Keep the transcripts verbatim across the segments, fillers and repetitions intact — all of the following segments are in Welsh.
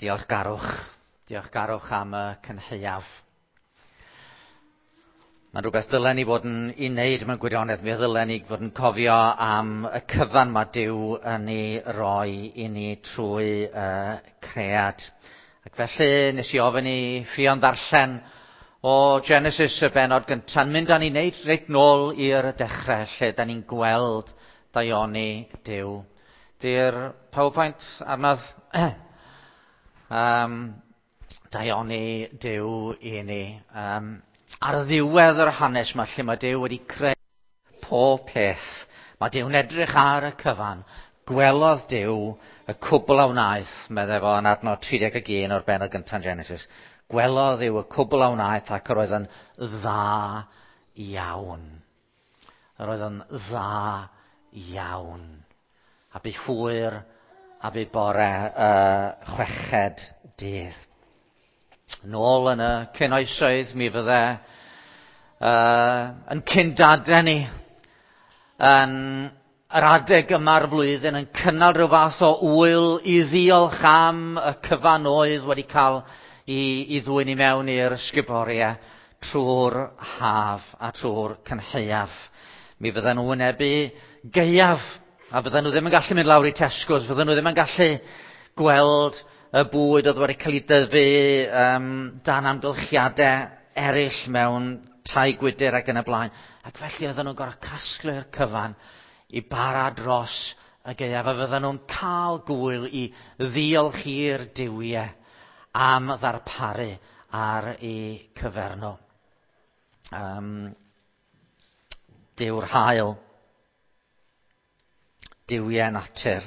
Diolchgarwch. Diolchgarwch am y cynhaeaf. Mae'n rhywbeth ddylen ni fod yn ei wneud mewn gwirionedd. Mi ddylen ni fod yn cofio am y cyfan mae Duw yn ei roi i ni trwy uh, cread. Ac felly nes i ofyn i Ffion ddarllen o Genesis y bennod gyntaf. Mynd â ni wneud reit nôl i'r dechrau lle da ni'n gweld daioni Duw. Di'r PowerPoint arnodd um, daioni Duw i ni. Um, ar ddiwedd yr hanes yma lle mae Duw wedi creu pob peth, mae Duw'n edrych ar y cyfan. Gwelodd Duw y cwbl a wnaeth, meddai fo yn adnod tri deg un o'r bennod gyntaf Genesis. Gwelodd Duw y cwbl a wnaeth ac yr oedd yn dda iawn. Yr oedd yn dda iawn. A bu hwyr a bu bore y chweched dydd. Nôl yn y cynoesoedd mi fydde uh, yn cyndadau ni yn yr adeg yma'r flwyddyn yn cynnal rhyw fath o ŵyl i ddiolch am y cyfan oedd wedi cael i, i ddwyn i mewn i'r sguboriau trwy'r haf a trwy'r cynhaeaf. Mi fydden nhw wynebu gaeaf, a fydden nhw ddim yn gallu mynd lawr i Tesco's, fydden nhw ddim yn gallu gweld y bwyd oedd wedi cael ei dyfu um, dan amgylchiadau eraill mewn tai gwydr ac yn y blaen. Ac felly oedden nhw'n gorfod casglu'r cyfan i bara dros y gaeaf, a fydden nhw'n cael gwyl i ddiolch i'r duwiau am ddarparu ar eu cyfer nhw. Um, Duw'r haul, duwiau natur.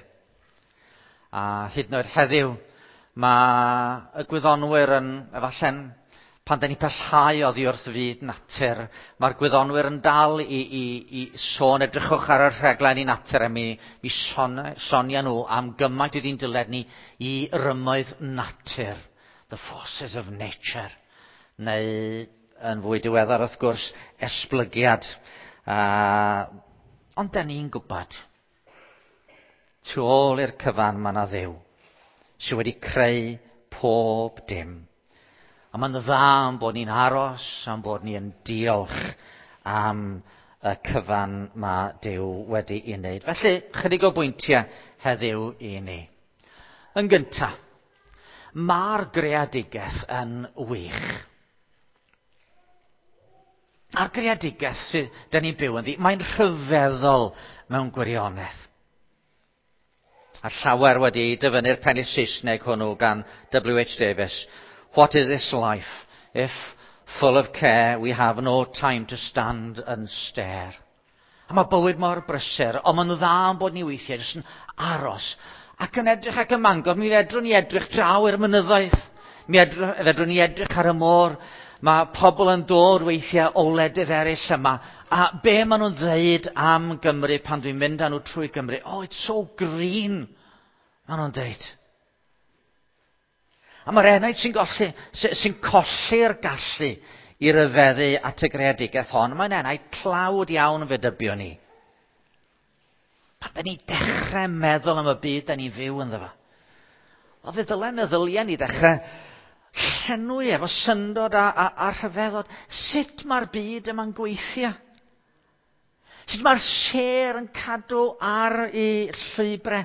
A hyd yn oed heddiw, mae y gwyddonwyr yn, efallai'n, pan da ni pellhau oddi wrth fyd natur, mae'r gwyddonwyr yn dal i, i, i sôn, edrychwch ar y rhaglen i natur, a mi, mi son, sonia nhw am gymaint ydy'n dyled ni i rymoedd natur, the forces of nature, neu yn fwy diweddar wrth gwrs, esblygiad. Uh, ond da ni'n gwybod, tu ôl i'r cyfan mae yna Dduw sydd wedi creu pob dim. A mae'n dda am bod ni'n aros, am bod ni'n diolch am y cyfan mae Duw wedi'i wneud. Felly, chydig o bwyntiau heddiw i ni. Yn gyntaf, mae'r greadigaeth yn wych. A'r greadigaeth sydd da ni'n byw ynddi, mae'n rhyfeddol mewn gwirionedd. A llawer wedi dyfynnu'r pennill Saesneg hwnnw gan W H Davies. What is this life if, full of care, we have no time to stand and stare? A mae bywyd mor brysur, ond mae'n dda am bod ni weithiau jyst yn aros ac yn edrych ac yn mangor. Mi fedrwn ni edrych draw i'r mynyddoedd. Mi fedrwn ni edrych ar y môr. Mae pobl yn dod weithiau o wledydd eraill yma. A be maen nhw'n dweud am Gymru pan dwi'n mynd â nhw trwy Gymru? Oh, it's so green, maen nhw'n dweud. A mae'r enaid sy'n golli, sy'n colli'r gallu i ryfeddu at y greadigaeth hon, mae'n enaid tlawd iawn fe dybio ni. Pan da ni dechrau meddwl am y byd da ni'n fyw ynddo fo. Wel, fe ddylai meddyliau ni dechrau llenwi efo syndod a, a, a rhyfeddod. Sut mae'r byd yma'n gweithio? Sut mae'r sêr yn cadw ar ei llwybrau?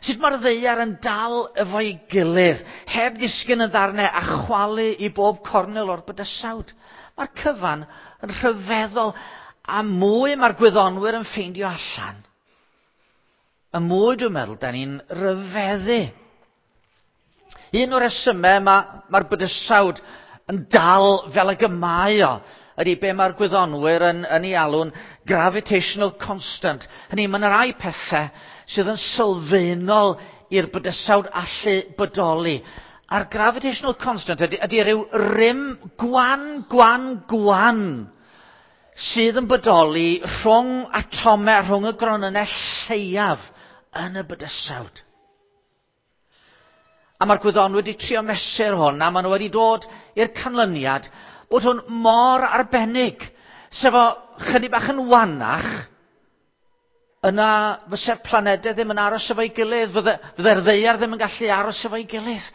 Sut mae'r ddaear yn dal efo'i gilydd, heb ddisgyn yn ddarnau a chwalu i bob cornel o'r bydysawd? Mae'r cyfan yn rhyfeddol, a mwy mae'r gwyddonwyr yn ffeindio allan. Y mwy dwi'n meddwl, da ni'n rhyfeddu. Un o'r resymau mae'r ma bydysawd yn dal fel ag y mae o, ydy be mae'r gwyddonwyr yn, yn ei alw'n gravitational constant. Hynny, mae yna rai pethau sydd yn sylfaenol i'r bydysawd allu bodoli. A'r gravitational constant ydy, ydy rhyw rym gwan, gwan, gwan sydd yn bodoli rhwng atomau, rhwng y gronynnau lleiaf yn y bydysawd. A mae'r gwyddonwyr wedi trio mesur hwn, a maen nhw wedi dod i'r canlyniad bod hwn mor arbennig. Sef o chydig bach yn wanach, yna fysa'r planedau ddim yn aros efo'i gilydd, fydde, fydde'r ddaear ddim yn gallu aros efo'i gilydd.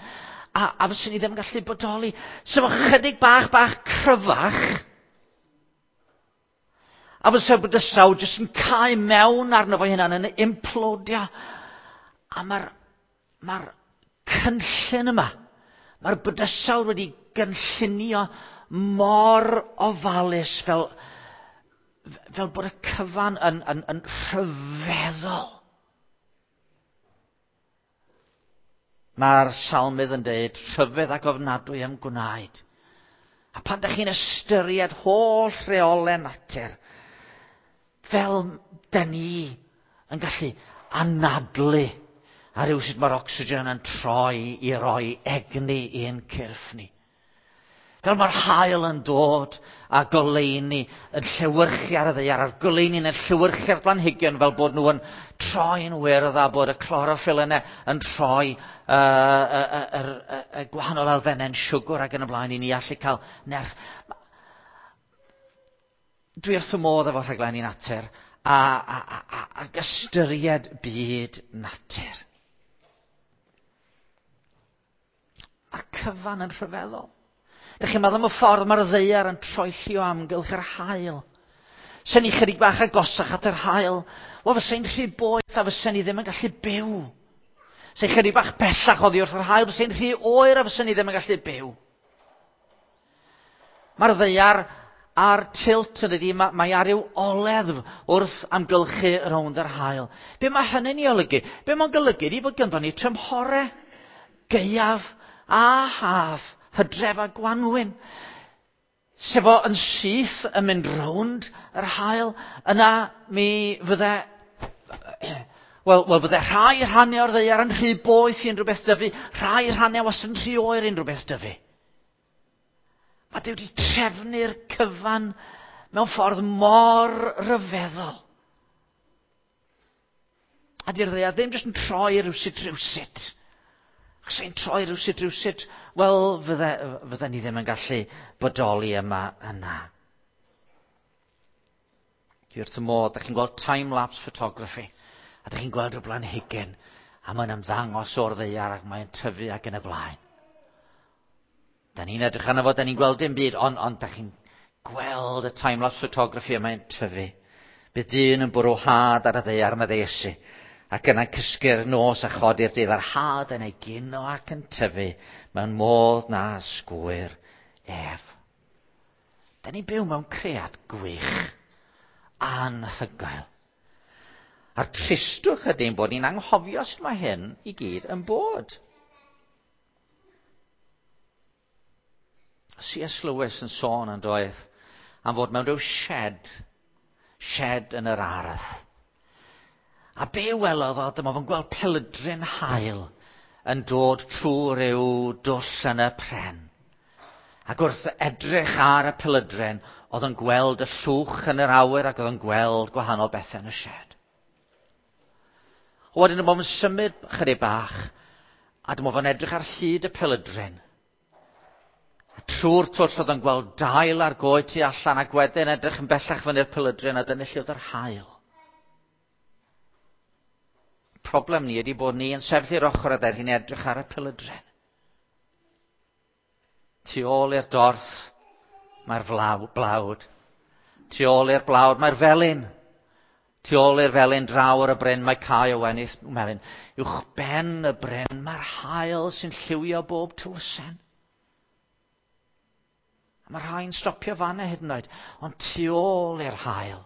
a, a fyswn ni ddim yn gallu bodoli. Sef o chydig bach, bach cryfach, a fysa'r bydysawd jyst yn cau mewn arno fo hynna'n yn implodio. A mae'r mae cynllun yma, mae'r bydysawd wedi gynllunio mor ofalus fel, fel bod y cyfan yn, yn, yn rhyfeddol. Mae'r salmydd yn dweud, rhyfedd ac ofnadwy am gwnaed. A pan ydych chi'n ystyried holl reolau natur, fel da ni yn gallu anadlu a rhywsut mae'r ocsigen yn troi i roi egni i'n cyrff ni. Fel mae'r haul yn dod a goleuni yn llewyrchu ar y ddaear, a'r goleuni yn llewyrchu ar blanhigion fel bod nhw yn troi'n wyrdd a bod y cloroffyl yna yn troi uh, y, y, y, y, y gwahanol elfennau'n siwgr ac yn y blaen i ni allu cael nerth. Dwi wrth y modd efo rhaglenni natur a, a, a, a, ac ystyried byd natur. Mae'r cyfan yn rhyfeddol. Dych chi'n meddwl am y ffordd mae'r ddaear yn troelli o amgylch yr haul. Sen ni chydig bach agosach at yr haul, wel fysa'n rhy boeth a fysa'n ni ddim yn gallu byw. Sen chydig bach bellach oddi wrth yr haul, fysa'n rhy oer a fysa'n ni ddim yn gallu byw. Mae'r ddaear a'r tilt yn ydy, mae, mae ar ryw oleddf wrth amgylchu rownd yr haul. Be mae hynny'n ei olygu? Be mae'n golygu ydy fod gynddon ni tymhorau, gaeaf a haf, hydref a gwanwyn. Sef o yn syth yn mynd rownd yr haul, yna mi fydde, wel, wel fydde rhai rhannau o'r ddaear yn rhy boeth i unrhyw beth dyfu, rhai rhannau wastad yn rhy oer i unrhyw beth dyfu. Mae Duw wedi trefnu'r cyfan mewn ffordd mor ryfeddol. A di'r ddaear ddim jyst yn troi rywsut rywsut. Achos ein troi rywsut rywsut, wel, fydde, fydde ni ddim yn gallu bodoli yma yna. Dwi wrth y modd, dach chi'n gweld time-lapse photography, a dach chi'n gweld rhyw blanhigyn, a mae'n ymddangos o'r ddaear ac mae'n tyfu ac yn y blaen. Da ni'n edrych arno fo, da ni'n gweld dim byd, ond, ond da chi'n gweld y time-lapse photography a mae'n tyfu. Bydd dyn yn bwrw had ar y ddaear, meddai Iesu, ac yna'n cysgu'r nos a chodi'r dydd a'r had yn ei gino ac yn tyfu mewn modd na sgwyr ef. Da ni'n byw mewn cread gwych, anhygoel. A'r tristwch ydy'n bod ni'n anghofio sut mae hyn i gyd yn bod. C S Lewis yn sôn yn doedd am fod mewn rhyw shed, shed yn yr ardd. A be welodd o, dyma fo'n gweld pelydryn haul yn dod trwy ryw dwll yn y pren. Ac wrth edrych ar y pelydryn, oedd yn gweld y llwch yn yr awyr ac oedd yn gweld gwahanol bethau yn y shed. Wedyn dyma fo'n symud chydig bach, a dyma fo'n edrych ar hyd y pelydryn. A trwy'r twll oedd yn gweld dail ar goed tu allan ac wedyn edrych yn bellach fyny'r pelydryn a dyna lle oedd yr haul. Problem ni ydy bod ni yn sefyll i'r ochr a ddaear ni'n edrych ar y pelydryn. Tu ôl i'r dorth mae'r flaw, blawd. Tu ôl i'r blawd mae'r felin. Tu ôl i'r felin draw ar y bryn mae cae o wenith melyn. Uwch ben y bryn mae'r haul sy'n lliwio bob tywysen. A mae'r rhai'n stopio fanna hyd yn oed. Ond tu ôl i'r haul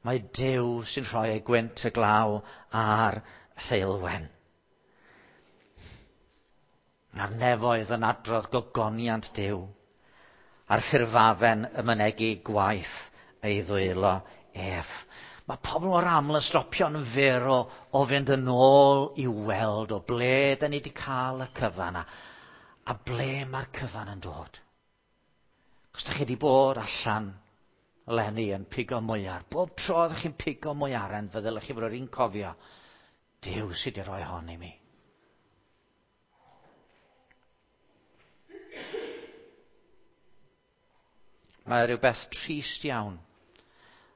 mae Duw sy'n rhoi ei gwynt y glaw a'r heulwen. Mae'r nefoedd yn adrodd gogoniant Duw, a'r ffurfafen yn mynegi gwaith ei ddwylo ef. Mae pobl mor aml yn stopio'n fyr o, o fynd yn ôl i weld o ble da ni wedi cael y cyfan a, a ble mae'r cyfan yn dod. Cos da chi wedi bod allan eleni yn pigo mwyar. Bob tro ydych chi'n pigo mwyaren, fe ddylech chi fod o'r un cofio, Duw sydd wedi rhoi hon i mi. Mae rhywbeth trist iawn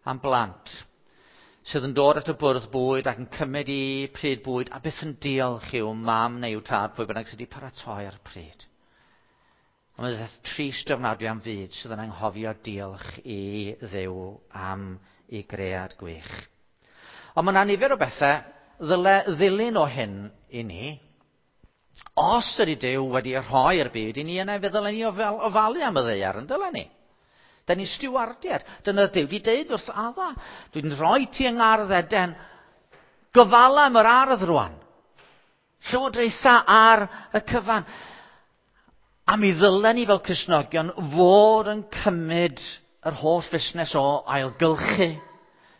am blant sydd yn dod at y bwrdd bwyd ac yn cymryd i pryd bwyd a byth yn diolch i'w mam neu i'w tad pwy bynnag sydd wedi paratoi ar y pryd. Ond mae'n trist ofnadwy am fyd sydd yn anghofio diolch i Dduw am ei gread gwych. Ond mae yna nifer o bethau ddyle ddilyn o hyn i ni. Os ydy Duw wedi rhoi'r byd i ni, yna fe ddylen ni ofalu am y ddaear, yn dylen ni. Da ni stiwardiad. Dyna Duw wedi deud wrth Adda. Dwi'n rhoi ti yng ngardd Eden. Gofala am yr ardd rwan. Llywodraetha ar y cyfan. A mi ddylen ni fel Cristnogion fod yn cymryd yr holl fusnes o ailgylchu,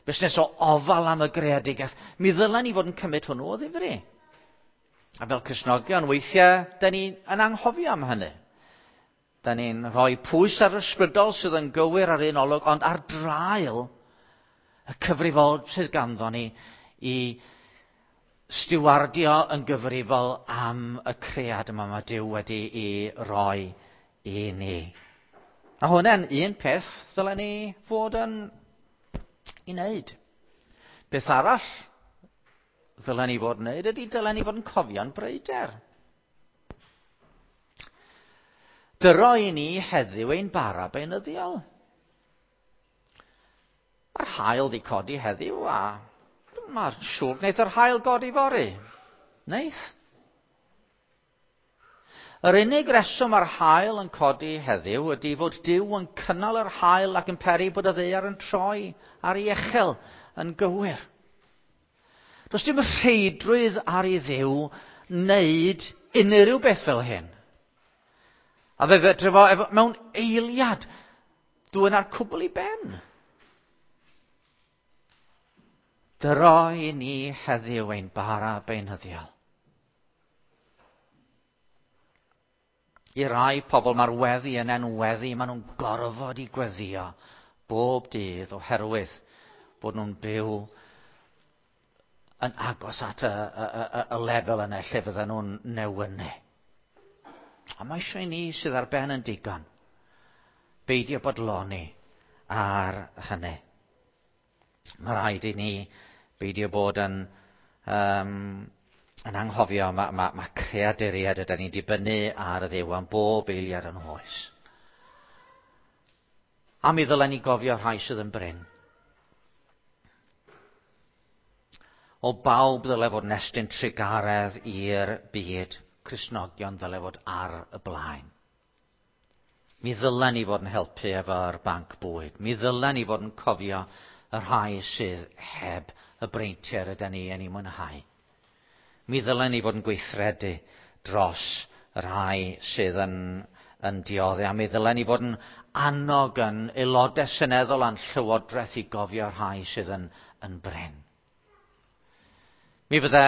busnes o ofal am y greadigaeth. Mi ddylen ni fod yn cymryd hwnnw o ddifri. A fel Cristnogion, weithiau, da ni yn anghofio am hynny. Da ni'n rhoi pwys ar ysbrydol sydd yn gywir ar un olwg, ond ar draul y cyfrifol sydd ganddo ni i stiwardio yn gyfrifol am y cread yma mae Duw wedi ei roi i ni. A hwnna'n un peth ddylen ni fod yn ei wneud. Beth arall ddylen ni fod yn wneud ydy dylen ni fod yn cofio'n breuder. Dyro i ni heddiw ein bara beunyddiol. Mae'r haul di codi heddiw a mae'r siŵr wneith yr haul godi fory. Neith. Yr unig reswm mae'r haul yn codi heddiw ydy fod Duw yn cynnal yr haul ac yn peri bod y ddaear yn troi ar ei echel yn gywir. Does dim rheidrwydd ar ei Dduw wneud unrhyw beth fel hyn. A fe fedre fo efo, mewn eiliad dwyn ar cwbl i ben. Dyro i ni heddiw ein bara beunyddiol. I rai pobl mae'r weddi yn enweddi, maen nhw'n gorfod i gweddio bob dydd oherwydd bod nhw'n byw yn agos at y, y, y, y lefel yna lle fydden nhw'n newynu. A mae eisiau i ni sydd ar ben yn digon beidio bodloni ar hynny. Mae rhaid i ni beidio bod yn, um, yn anghofio mae, mae, mae creaduriaid ydyn ni'n dibynnu ar y Dduw am bob eiliad yn oes. A mi ddylen ni gofio rhai sydd yn brin. O bawb ddyle fod yn estyn trugaredd i'r byd, Cristnogion ddyle fod ar y blaen. Mi ddylen ni fod yn helpu efo'r banc bwyd. Mi ddylen ni fod yn cofio y rhai sydd heb y breintiau rydyn ni yn ei mwynhau. Mi ddylen ni fod yn gweithredu dros y rhai sydd yn, yn dioddef. A mi ddylen ni fod yn annog yn aelodau seneddol a'n llywodraeth i gofio rhai sydd yn, yn brin. Mi fydde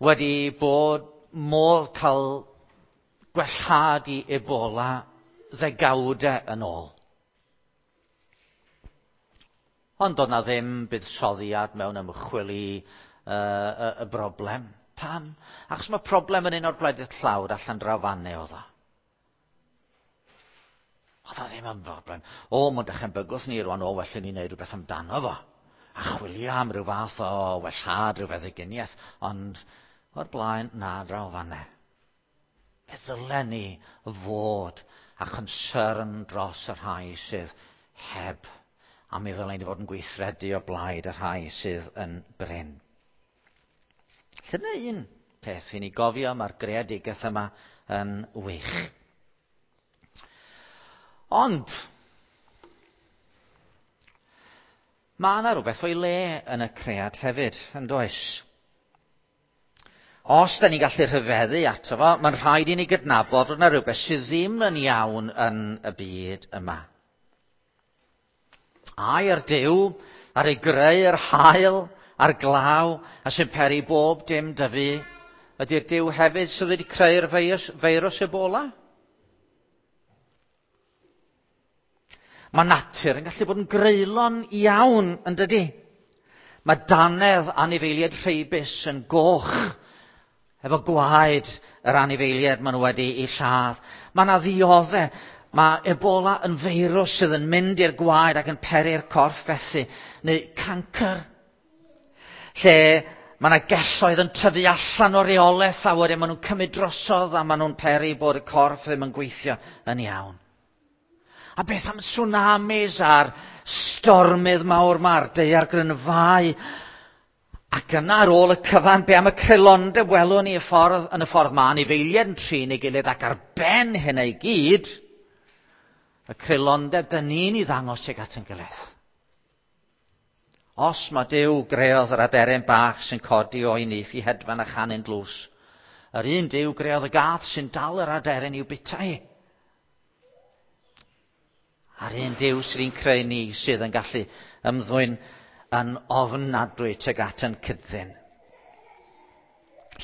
wedi bod modd cael gwellhad i Ebola ddegawdau yn ôl. Ond doedd na ddim buddsoddiad mewn ymchwil i uh, y, y broblem. Pam? Achos mae problem yn un o'r gwledydd tlawd allan draw fanne oedd o. Oedd o ddim yn broblem. O, mae'n dechrau'n bygwth ni rwan, o, well i ni wneud rhywbeth amdano fo. A chwilio am ryw fath o wellhad, rhyw feddyginiaeth. Ond o'r blaen, na, draw fanne. Fe ddylen ni fod a concern dros y rhai sydd heb. A mi ddylen ni fod yn gweithredu o blaid y rhai sydd yn brin. Dyna un peth i ni gofio, mae'r greadigaeth yma yn wych. Ond, mae yna rhywbeth o'i le yn y cread hefyd, yn does? Os da ni'n gallu rhyfeddu ato fo, mae'n rhaid i ni gydnabod fod yna rhywbeth sydd ddim yn iawn yn y byd yma. Air Duw ar ei greu yr haul a'r glaw a sy'n peri bob dim dyfu, ydy'r Duw hefyd sydd wedi creu'r feirws, feirws Ebola? Mae natur yn gallu bod yn greulon iawn, yn dydy? Mae dannedd anifeiliaid rheibus yn goch efo gwaed yr anifeiliaid maen nhw wedi ei lladd. Mae yna ddioddau. Mae Ebola yn feirws sydd yn mynd i'r gwaed ac yn peri'r corff felly, neu cancr. Lle mae yna gelloedd yn tyfu allan o reolaeth a wedyn maen nhw'n cymryd drosodd a maen nhw'n peri bod y corff ddim yn gweithio yn iawn. A beth am tsunamis a'r stormydd mawr ma'r daeargrynfâu? Ac yna ar ôl y cyfan, be am y creulondeb welwn ni y ffordd, yn y ffordd ma anifeiliaid yn trin ei gilydd ac ar ben hynna i gyd, y creulondeb dyn ni'n ei ddangos tuag at ein gilydd. Os mae Duw greodd yr aderyn bach sy'n codi o'i nyth i hedfan a chanu'n dlws, yr un Duw greodd y gath sy'n dal yr aderyn i'w bita hi. A'r un Duw sydd yn creu ni sydd yn gallu ymddwyn yn ofnadwy tuag at yn cyddyn.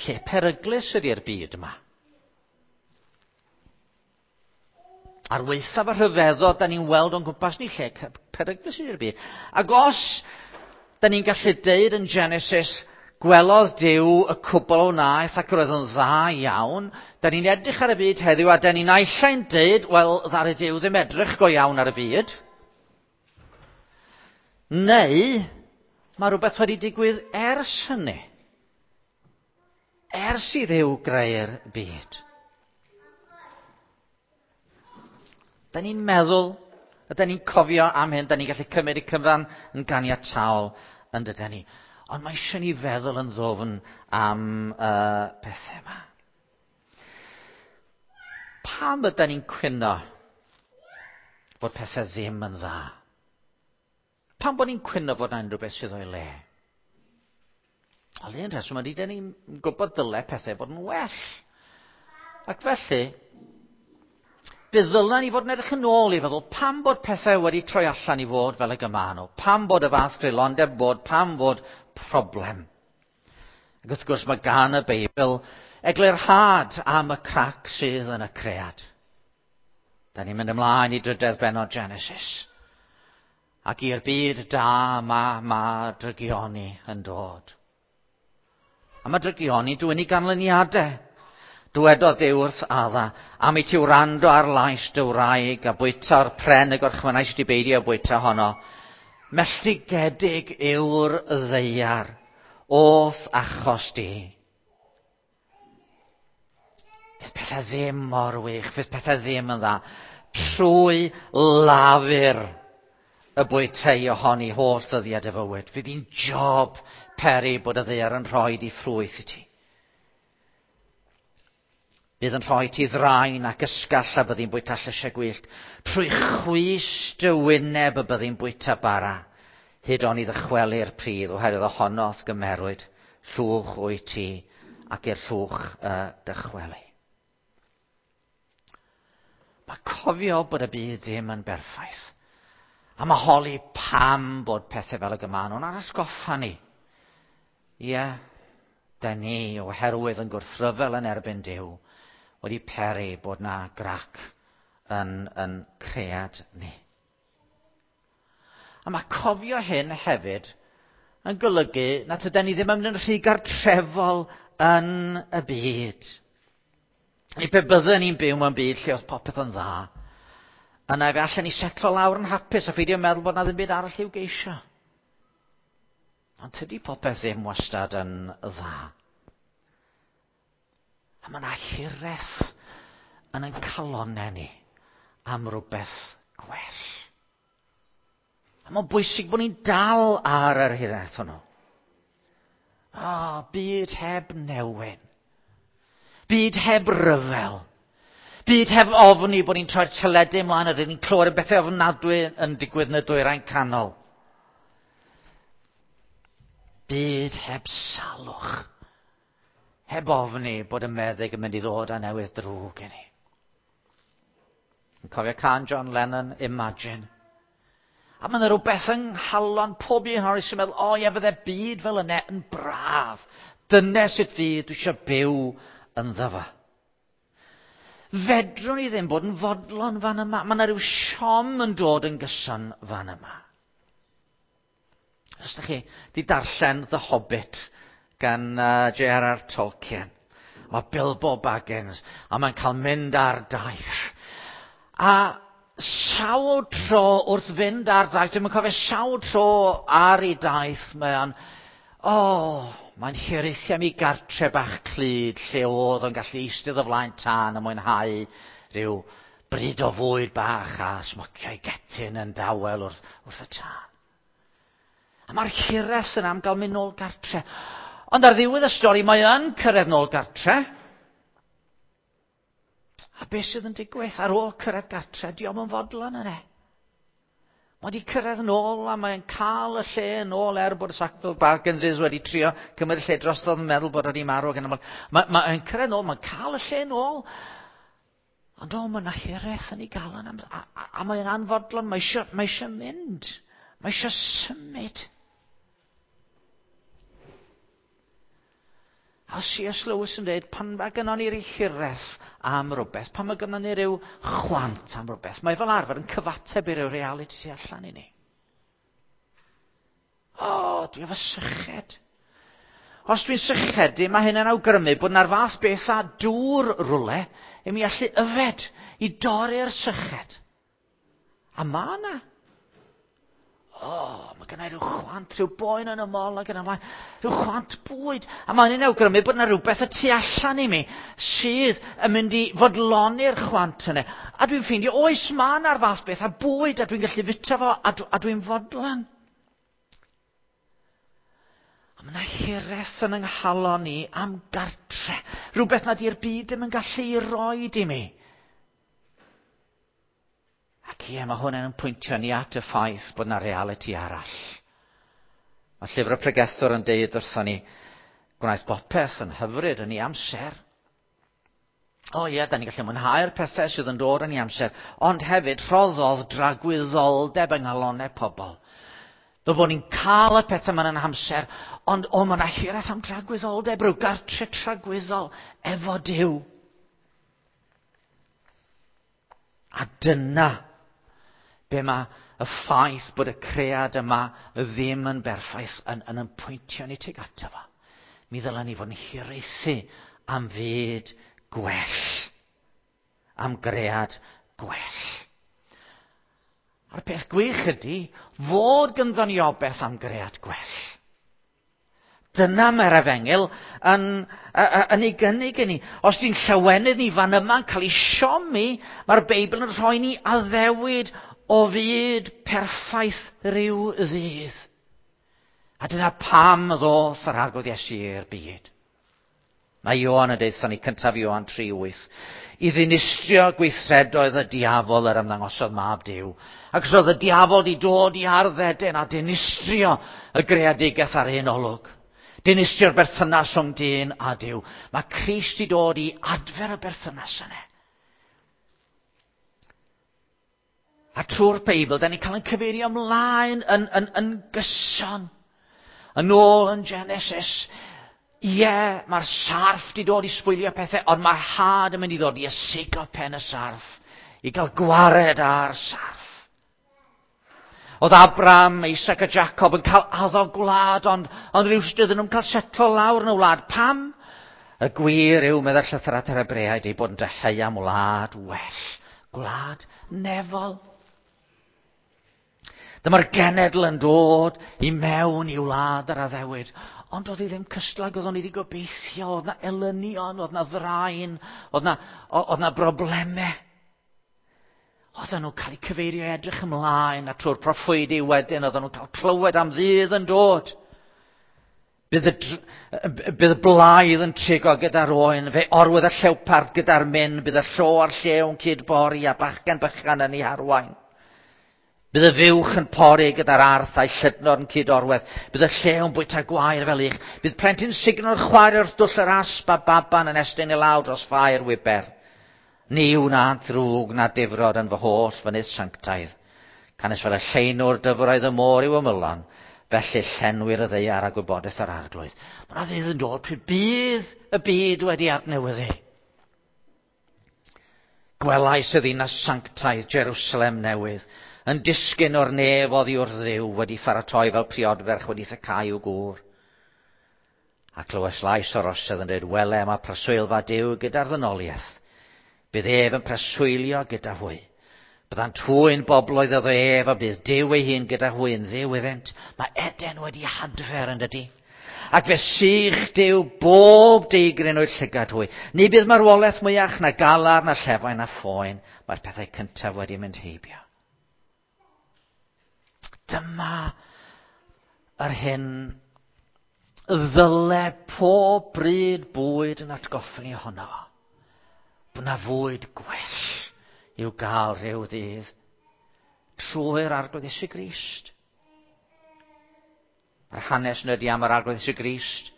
Lle peryglus ydy'r byd yma. Ar waethaf y rhyfeddod, da ni'n weld o'n gwmpas ni lle peryglus ydy'r byd. Ac os da ni'n gallu deud yn Genesis, gwelodd Duw y cwbl o wnaeth ac roedd yn dda iawn, da ni'n edrych ar y byd heddiw a da ni'n naill deud, wel, ddaru Duw ddim edrych go iawn ar y byd. Neu, mae rhywbeth wedi digwydd ers hynny. Ers i Dduw greu'r byd. Da ni'n meddwl, a da ni'n cofio am hyn, da ni'n gallu cymryd y cyfan yn ganiataol yn dydyn ni. Ond mae eisiau ni feddwl yn ddwfn am uh, pethau yma. Pam ydyn ni'n cwyno fod pethau ddim yn dda? Pam bod ni'n cwyno fod yna unrhyw beth sydd o'i le? Wel, un rheswm ydy, dyn ni'n gwybod dyle pethau fod yn well. Ac felly, bydd ddylen ni fod yn edrych yn ôl i feddwl pam bod pethau wedi troi allan i fod fel y gyma nhw, pam bod y fath greulondeb bod, pam bod problem. Ac wrth gwrs mae gan y Beibl eglurhad am y crac sydd yn y cread. Da ni'n mynd ymlaen i drydedd bennod Genesis. Ac i'r byd da ma, ma drygioni yn dod. A mae drygioni dwyn i ganlyniadau. Dwedodd Duw wrth Adda, am i ti wrando ar lais dy wraig a bwyta'r pren y gorchmynnais di beidio bwyta honno. Melltigedig yw'r ddaear o'th achos di. Fydd pethau ddim mor wych, fydd pethau ddim yn dda. Trwy lafur y bwytei ohoni holl ddyddiad y fywyd. Fydd hi'n job peri bod y ddaear yn rhoi di ffrwyth i ti. Bydd yn rhoi ti ddraen ac ysgall a byddi'n bwyta llysiau gwyllt. Trwy chwys dy wyneb y byddi'n bwyta bara, hyd oni ddychwelu'r pridd, oherwydd ohonoth gymerwyd llwch wyt ti ac i'r llwch uh, dychwelu. Mae cofio bod y byd ddim yn berffaith. A mae holi pam bod pethau fel y gyma nhw'n atgoffa ni. Ie, da ni oherwydd yn gwrthryfel yn erbyn Duw wedi peri bod na grac yn, yn cread ni. A mae cofio hyn hefyd yn golygu na tyden ni ddim yn mynd yn rhy gartrefol yn y byd. Ni pe bydden ni'n byw mewn byd lle oedd popeth yn dda, yna fe allan ni setlo lawr yn hapus a pheidio meddwl bod na ddim byd arall i'w geisio. Ond tydi popeth ddim wastad yn dda. A mae yna hiraeth yn ein calonnau ni am rhywbeth gwell. A mae'n bwysig bod ni'n dal ar yr hiraeth hwnnw. O, byd heb newyn. Byd heb ryfel. Byd heb ofni bod ni'n troi'r teledu ymlaen a rydyn ni'n clywed y bethau ofnadwy yn digwydd yn y dwyrain canol. Byd heb salwch. Heb ofni bod y meddyg yn mynd i ddod â newydd drwg i ni. Yn cofio can John Lennon, Imagine. A mae yna rhywbeth yng nghalon pob un ohonon ni sy'n meddwl, o ie, fydde byd fel yna yn braf. Dyna sut fydd dwi eisiau byw ynddo fo. Fedrwn ni ddim bod yn fodlon fan yma. Mae yna rhyw siom yn dod yn gyson fan yma. Os ydych chi di darllen The Hobbit gan uh, J R R Tolkien. Mae Bilbo Baggins, a mae'n cael mynd ar daith. A sawl tro wrth fynd ar daith, dwi'n cofio sawl tro ar ei daith, mae o'n, o, oh, Mae'n hiraethu am ei gartre bach clyd lle oedd o'n gallu eistedd o flaen tân a mwynhau rhyw bryd o fwyd bach a smocio'i getyn yn dawel wrth, wrth y tân. A mae'r hiraeth yna am gael mynd nôl gartre. Ond ar ddiwedd y stori mae yn cyrraedd nôl gartre. A beth sydd yn digwydd ar ôl cyrraedd gartre, dio'm yn fodlon yna. Mae wedi cyrraedd nôl a mae'n cael y lle yn ôl er bod y Sackville Bagginses wedi trio cymryd y lle drostodd yn meddwl bod wedi marw. Mae'n mae, mae cyrraedd nôl, mae'n cael y lle nôl. Ond o, mae yna hiraeth yn ei galon a, a, a, a mae'n anfodlon, mae eisiau, mae eisiau mynd, mae eisiau symud. A C S Lewis yn dweud, pan mae gynnon ni ryw hiraeth am rhywbeth, pan mae gynnon ni ryw chwant am rhywbeth, mae fel arfer yn cyfateb i ryw realiti tu allan i ni. O, dwi efo syched. Os dwi'n sychedu, mae hynny'n awgrymu bod na'r fath beth a dŵr rwle i mi allu yfed, i dorri'r syched. A mae yna. O, oh, mae gennau rhyw chwant, rhyw boen yn y mol ac yn ymlaen, rhyw chwant bwyd. A mae'n un awgrymu bod yna rhywbeth y tu allan i mi sydd yn mynd i fodloni'r chwant yna. A dwi'n ffeindio, oes mae yna'r fath beth a bwyd a dwi'n gallu fita fo a, a dwi'n fodlon. A mae yna hiraeth yn yng nghalon ni am gartre. Rhywbeth nad yw'r byd ddim yn gallu ei roid i mi. Ac ie, mae hwn yn pwyntio ni at y ffaith bod yna realiti arall. Mae llyfr y pregethwr yn deud wrthon ni, gwnaeth bopeth yn hyfryd yn ei amser. O ie, da ni'n gallu mwynhau'r pethau sydd yn dod yn ei amser, ond hefyd rhoddodd dragwyddoldeb yng nghalonnau pobl. Fel bod ni'n cael y pethau yma yn amser, ond o, mae yna hiraeth am dragwyddoldeb, rhyw gartre tragwyddol efo Duw. A dyna be mae y ffaith bod y cread yma ddim yn berffaith yn, yn, yn pwyntio ni tuag ato fo. Mi ddylen ni fod yn hiraethu am fyd gwell. Am gread gwell. A'r peth gwych ydy fod gynddon ni obaith am gread gwell. Dyna mae'r efengyl yn, yn ei gynnig i ni. Os di'n llawenydd ni fan yma'n cael ei siomi, mae'r Beibl yn rhoi ni addewid o fyd perffaith rhyw ddydd. A dyna pam ddoth yr Arglwydd Iesu i'r byd. Mae Ioan yn deutha ni, cyntaf Ioan tri wyth, i ddinistrio gweithredoedd y diafol yr ymddangosodd mab Duw. Ac os oedd y diafol di dod i ardd Eden a dinistrio y greadigaeth ar un olwg. Dinistrio'r berthynas rhwng dyn a Duw. Mae Crist i dod i adfer y berthynas yna. A trwy'r Beibl, da ni'n cael ein cyfeirio ymlaen yn, yn, yn gyson. Yn ôl yn Genesis, ie, yeah, mae'r sarff di dod i sbwylio pethau, ond mae'r had yn mynd i ddod i ysigo pen y sarff, i gael gwared ar sarff. Oedd Abraham, Isaac a Jacob yn cael addo gwlad, ond, ond rhywsut oedden nhw'n cael setlo lawr yn y wlad. Pam? Y gwir yw, meddai'r llythyr at yr Hebreaid, ei bod yn dyheu am wlad well, gwlad nefol. Dyma'r genedl yn dod i mewn i wlad yr addewid. Ond oedd hi ddim cystal ag oeddwn i wedi gobeithio, oedd na elynion, oedd na ddraen, oedd na, oedd na broblemau. Oedden nhw'n cael eu cyfeirio edrych ymlaen, a trwy'r proffwydi wedyn, oedden nhw'n cael clywed am ddydd yn dod. Bydd y, bydd y blaidd yn trigo gyda'r oen, fe orwedd y llewpard gyda'r myn, bydd y llo a'r llew yn cydbori a bachgen bychan yn ei harwain. Bydd y fuwch yn pori gyda'r arth a'i llydnod yn cyd-orwedd. Bydd y llew yn bwyta gwair fel ych. Bydd plentyn sugno'r chwaer wrth dwll yr asp a baban yn estyn i lawr dros ffair wiber. Ni wna ddrwg na difrod yn fy holl fynydd sanctaidd. Canys fel y llenwr dyfroedd y môr i'w ymylon, felly llenwir y ddaear a gwybodaeth yr Arglwydd. Mae yna ddydd yn dod pryd bydd y byd wedi adnewyddu. Gwelais y ddinas sanctaidd Jerusalem newydd, yn disgyn o'r nef oddi wrth Dduw, wedi pharatoi fel priodferch wedi thecau i'w gŵr. A clywais lais o'r orsedd yn dweud, wele, mae preswylfa Duw gyda'r ddynoliaeth. Bydd ef yn preswylio gyda hwy. Byddant hwy'n bobloedd iddo ef, a bydd Duw ei hun gyda hwy yn Dduw iddynt. Mae Eden wedi hadfer yn dydy. Ac fe sych Duw bob deigryn o'i llygad hwy. Ni bydd marwolaeth mwyach na galar, na llefain, na phoen. Mae'r pethau cyntaf wedi mynd heibio. Dyma yr hyn ddyle pob bryd bwyd yn atgoffa ni ohono fo. Bod 'na fwyd gwell i'w gael rhyw ddydd trwy'r Arglwydd Iesu Grist. Mae'r hanes yn ydi am yr Arglwydd Iesu Grist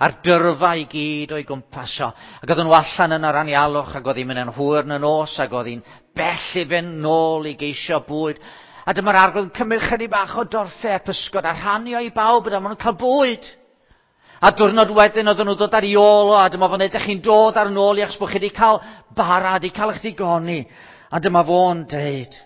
a'r dyrfa i gyd o'i gwmpas o. Ac oedden nhw allan yn yr anialwch, ac oedd hi'n mynd yn hwyr yn y nos, ac oedd hi'n bell i fynd nôl i geisio bwyd. A dyma'r Arglwydd yn cymryd chydig bach o dorthau a pysgod a rhannu o i bawb, a dyma nhw'n cael bwyd. A diwrnod wedyn oedden nhw'n dod ar ei ôl o, a dyma fo'n edrych chi'n dod ar nôl i achos bod chi wedi cael bara, wedi cael eich digoni. A dyma fo'n deud,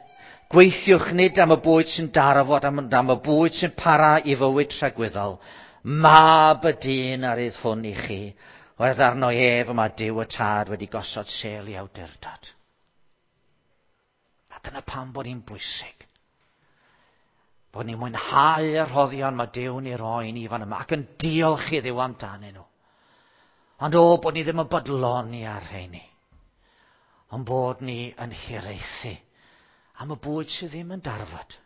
gweithiwch nid am y bwyd sy'n darfod, am, am y bwyd sy'n para i fywyd tragwyddol. Mab y dyn ar rydd hwn i chi, oherwydd arno ef y mae Duw y Tad wedi gosod sêl i awdurdod. A dyna pam bod hi'n bwysig. Bod ni'n mwynhau y rhoddion mae Duw'n ei roi ni fan yma ac yn diolch i Dduw amdanyn nhw. Ond o, bod ni ddim yn bodloni ar rheini. Ond bod ni yn hiraethu am y bwyd sydd ddim yn darfod.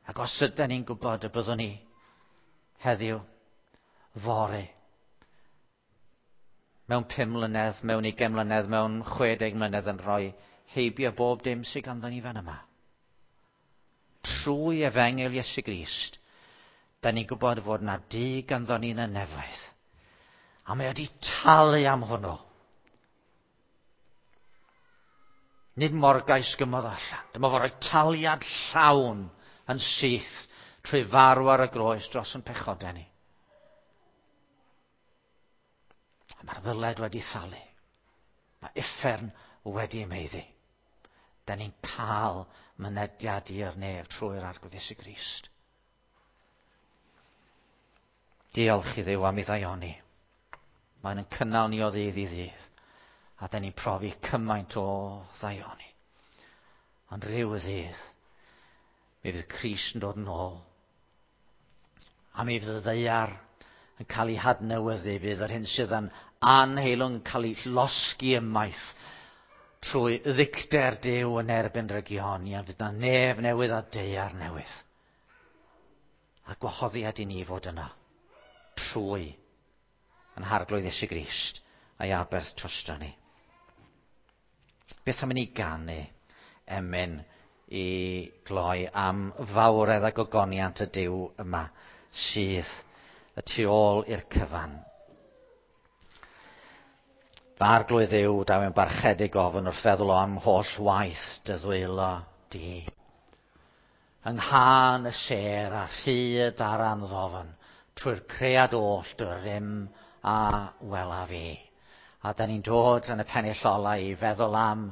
Ac os ydyn ni'n gwybod y byddwn ni heddiw, fory, mewn pum mlynedd, mewn ugain mlynedd, mewn chwe deg mlynedd yn rhoi heibio bob dim sydd ganddo ni fan yma. Trwy efengyl Iesu Grist, da ni'n gwybod fod na dŷ ganddo ni yn y nefoedd. A mae wedi talu am hwnnw. Nid morgais gymodd allan. Dyma fo roi taliad llawn yn syth trwy farw ar y groes dros yn pechodau ni. A mae'r ddyled wedi thalu. Mae uffern wedi maeddu. Da ni'n cael mynediad i'r nef trwy'r Arglwydd Iesu Grist. Diolch i Dduw am ei ddaioni. Mae'n yn cynnal ni o ddydd i ddydd. A da ni'n profi cymaint o ddaioni. Ond rhyw ddydd, mi fydd Crist yn dod yn ôl. A mi fydd y ddaear yn cael ei hadnewyddu, fydd yr hyn sydd yn anheilwng yn cael ei losgi ymaith trwy ddicter Duw yn erbyn drygioni, a fydd na nef newydd a daear newydd. A gwahoddiad i ni fod yna trwy yn Harglwydd Iesu Grist a'i aberth drosto ni. Beth am i ni ganu emyn i gloi am fawredd a gogoniant y Duw yma sydd y tu ôl i'r cyfan. Fy Arglwydd Dduw, daw yn barchedig ofn wrth feddwl o am holl waith dy ddwylo di. Yng nghân y sêr a rhyd ar anddofn, trwy'r cread oll dy rym a welaf i. A da ni'n dod yn y pennill ola i feddwl am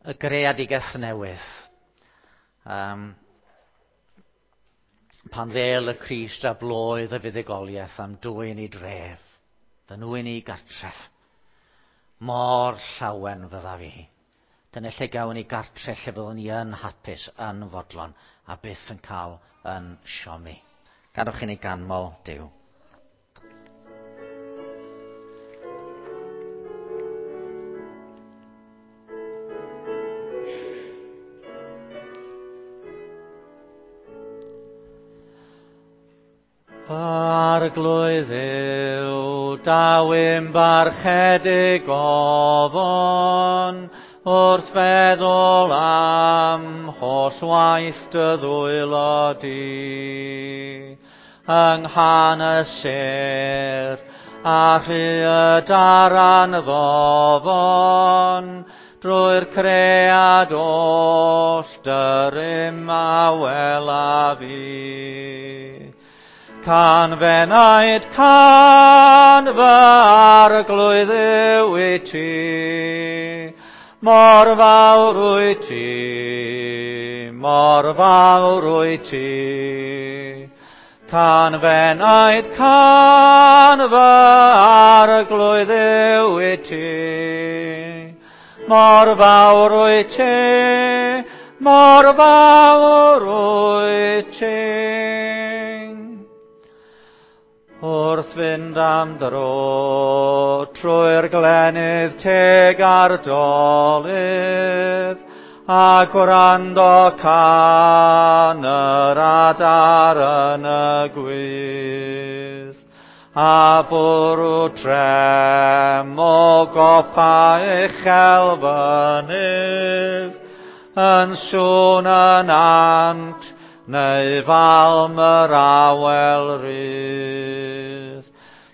y greadigaeth newydd. Um, pan ddêl y Crist a bloedd y fuddugoliaeth am dwyn i dref, fy nwyn i gartref. Mor llawen fydda fi. Dyna lle gawn ni gartre lle fyddwn ni yn hapus, yn fodlon, a byth yn cael yn siomi. Gadwch i ni ganmol Duw. Arglwydd Dduw, daw i'm barchedig ofon, wrth feddwl am holl waith dy ddwylo di. Yng nghân y sêr, a rhyd ar anddofon, drwy'r cread oll dy rym a welaf i. Can fenaid can fy Arglwydd Dduw i ti, mor fawr wyt ti, mor fawr wyt ti. Can fenaid can fy Arglwydd Dduw i ti, mor fawr wyt ti, mor fawr wyt ti. Wrth fynd am dro trwy'r glenydd teg a'r dolydd, a gwrando can yr adar yn y gwydd, a bwrw trem o gopa uchel fynydd, yn sŵn y nant neu falm yr awel rydd.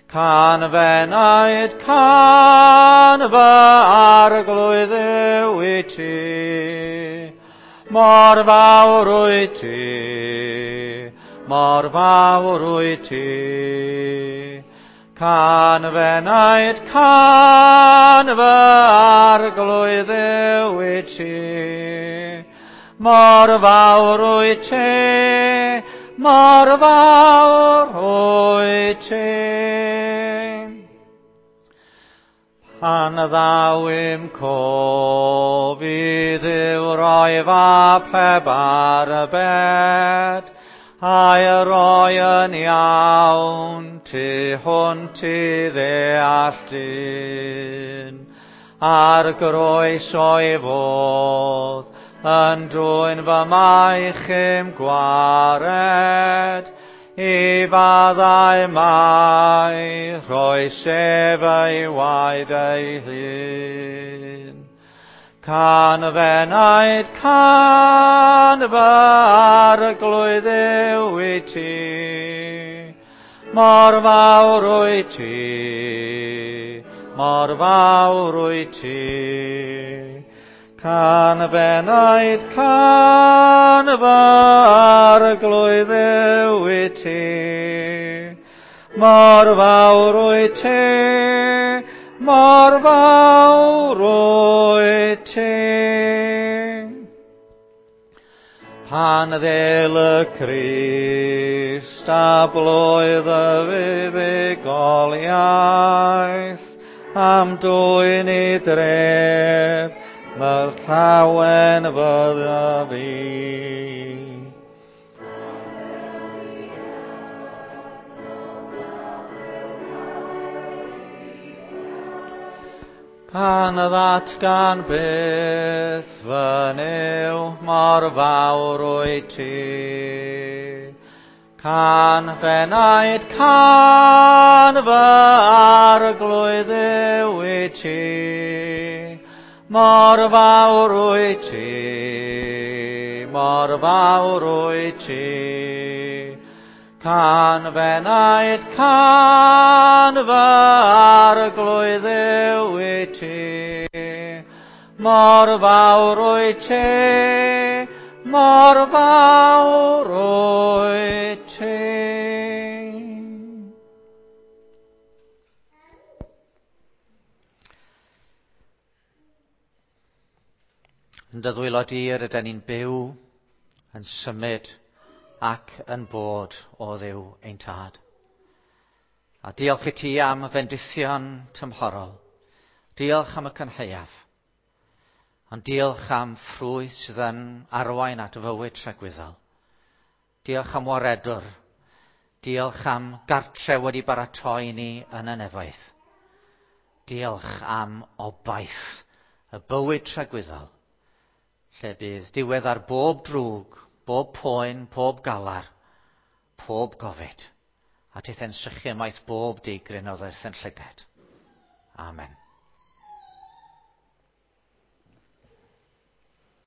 Can f'enaid, can fy arglwydd yw i ti, mor fawr wyt ti, mor fawr wyt ti. Can f'enaid, can fy arglwydd yw i ti, mor fawr wyt ti, mor fawr wyt ti. Pan ddaw i'm cof i Dduw roi fab heb arbed, a'i roi yn iawn tu hwnt i ddeall dyn, ar groes o'i fodd, yn dwyn fy maich i'm gwared, i faddau mai rhoi sef ei waed ei hun. Can f'enaid, can fy arglwydd yw i ti, mor fawr wyt ti, mor fawr wyt ti. Can f'enaid, can fy arglwydd yw i ti, mor fawr wyt ti, mor fawr wyt ti. Pan ddel y Crist a blwydd y fuddugoliaeth, am dwyn i dref, mae'r llawen fyddaf i. Pan ddatgan byth fy Nuw mor fawr wyt ti, can f'enaid, can fy arglwydd yw i ti, mor fawr wyt ti, mor fawr wyt ti. Can f'enaid, can fy arglwydd yw i ti, mor fawr wyt ti, mor fawr wyt ti. Yn dy ddwylo di yr ydyn ni'n byw, yn symud ac yn bod o Dduw ein Tad. A diolch i ti am fendithion tymhorol. Diolch am y cynhaeaf. Ond diolch am ffrwyth sydd yn arwain at fywyd tragwyddol. Diolch am waredwr. Diolch am gartre wedi baratoi ni yn y nefoedd. Diolch am obaith y bywyd tragwyddol, lle bydd diwedd ar bob drwg, bob poen, pob galar, pob gofid, a tithau'n sychu ymaith bob digryn oddi wrth ein llygad. Amen.